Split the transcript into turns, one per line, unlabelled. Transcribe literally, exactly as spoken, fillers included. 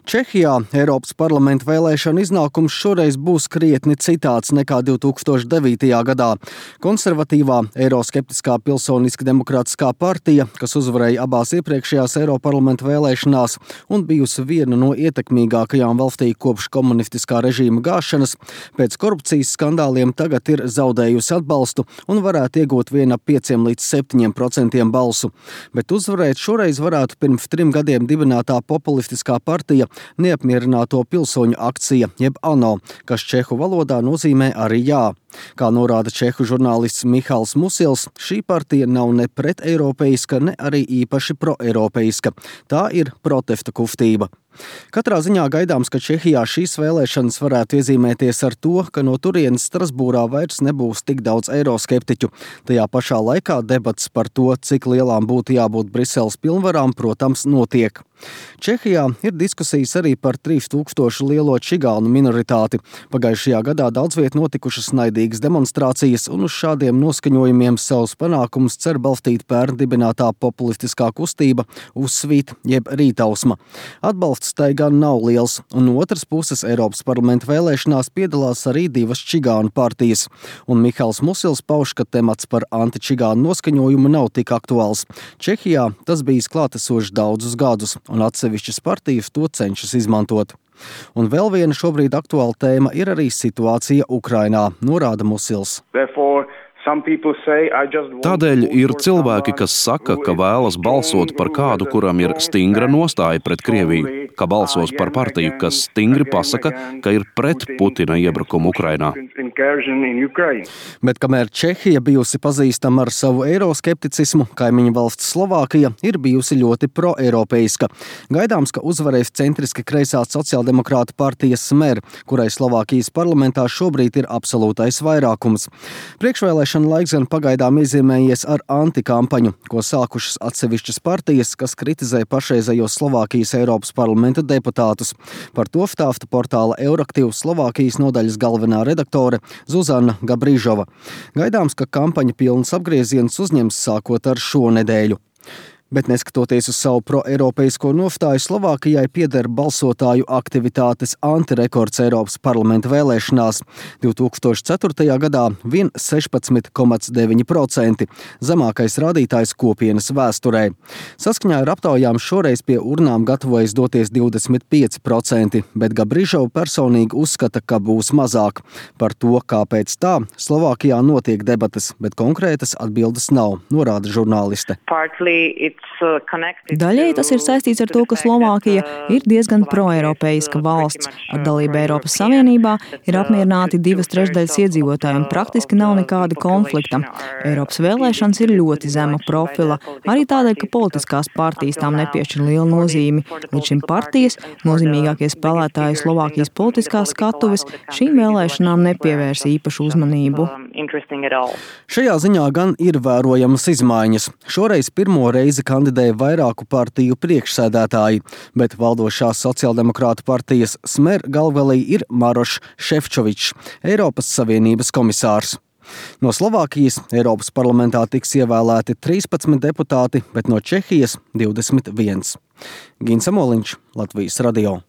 Čehijā Eiropas parlamenta vēlēšana iznākums šoreiz būs krietni citāds nekā divi tūkstoši devītajā gadā. Konservatīvā eiroskeptiskā Pilsoniski demokrātiskā partija, kas uzvarēja abās iepriekšējās Eiroparlamenta vēlēšanās un bijusi viena no ietekmīgākajām valstī kopš komunistiskā režīma gāšanas, pēc korupcijas skandāliem tagad ir zaudējusi atbalstu un varētu iegūt vien ap pieciem līdz septiņiem procentiem balsu. Bet uzvarēt šoreiz varētu pirms trim gadiem dibinātā populistiskā partija Neapmierināto pilsoņu akcija, jeb ANO, kas čehu valodā nozīmē arī jā. Kā norāda čehu žurnālists Mihals Musils, šī partija nav ne preteiropeiska, ne arī īpaši proeiropeiska. Tā ir protesta kustība. Katrā ziņā gaidāms, ka Čehijā šīs vēlēšanas varētu iezīmēties ar to, ka no turienes Strasbūrā vairs nebūs tik daudz eiroskeptiķu. Tajā pašā laikā debats par to, cik lielām būtu jābūt Briseles pilnvarām, protams, notiek. Čehijā ir diskusijas arī par trīs tūkstošu lielo čigānu minoritāti. Pagājušajā gadā daudz viet notikušas naidīgas demonstrācijas, un uz šādiem noskaņojumiem savus panākumus cer balstīt pērn dibinātā populistiskā kustība Uzsvīt jeb Rītausma. Atbalsts tai gan nav liels, un no otras puses Eiropas parlamenta vēlēšanās piedalās arī divas čigānu partijas. Un Mihals Musils pauž, ka temats par antičigānu noskaņojumu nav tik aktuāls. Čehijā tas bijis klātesošs daudzus gadus, un atsevišķas partijas to cenšas izmantot. Un vēl viena šobrīd aktuāla tēma ir arī situācija Ukrainā, norāda Musils.
Tādēļ ir cilvēki, kas saka, ka vēlas balsot par kādu, kuram ir stingra nostāja pret Krieviju, ka balsos par partiju, kas stingri pasaka, ka ir pret Putina iebrukumu Ukrainā.
Bet kamēr Čehija bijusi pazīstama ar savu eiroskepticismu, kaimiņu valsts Slovākija ir bijusi ļoti proeiropeiska. Gaidāms, ka uzvarēs centriski kreisā sociāldemokrāta partija Smer, kurai Slovākijas parlamentā šobrīd ir absolūtais vairākums. Priekšvēlēšana laiks gan pagaidām iezīmējies ar antikampaņu, ko sākušas atsevišķas partijas, kas kritizē pašreizējos Slovākijas Eiropas parlamenta deputātus. Par to stāsta portāla Euraktiv Slovākijas nodaļas galvenā redaktore Zuzana Gabrīžova. Gaidāms, ka kampaņa pilns apgrieziens uzņems sākot ar šo nedēļu. Bet neskatoties uz savu proeiropeisko nostāju, Slovākijai pieder balsotāju aktivitātes antirekords Eiropas parlamenta vēlēšanās. divi tūkstoši ceturtajā gadā vien sešpadsmit komats deviņi procenti, zemākais rādītājs kopienas vēsturē. Saskaņā ar aptaujām šoreiz pie urnām gatavojas doties divdesmit pieci procenti, bet Gabrižova personīgi uzskata, ka būs mazāk. Par to, kāpēc tā, Slovākijā notiek debates, bet konkrētas atbildes nav, norāda žurnāliste.
Daļēji tas ir saistīts ar to, ka Slovākija ir diezgan proeiropeiska valsts. Ar dalību Eiropas Savienībā ir apmierināti divas trešdaļas iedzīvotāji un praktiski nav nekāda konflikta. Eiropas vēlēšanas ir ļoti zema profila, arī tādēļ, ka politiskās partijas tām nepiešķir lielu nozīmi. Līdz šim partijas, nozīmīgākie spēlētāji Slovākijas politiskās skatuves, šīm vēlēšanām nepievērs īpašu uzmanību.
Šajā ziņā gan ir vērojamas izmaiņas. Šoreiz pirmo reizi kandidēja vairāku partiju priekšsēdētāji, bet valdošās sociāldemokrātu partijas Smer galvelī ir Marošs Šefčovičs, Eiropas Savienības komisārs. No Slovākijas Eiropas parlamentā tiks ievēlēti trīspadsmit deputāti, bet no Čehijas divdesmit viens. Gins Amoliņš, Latvijas radio.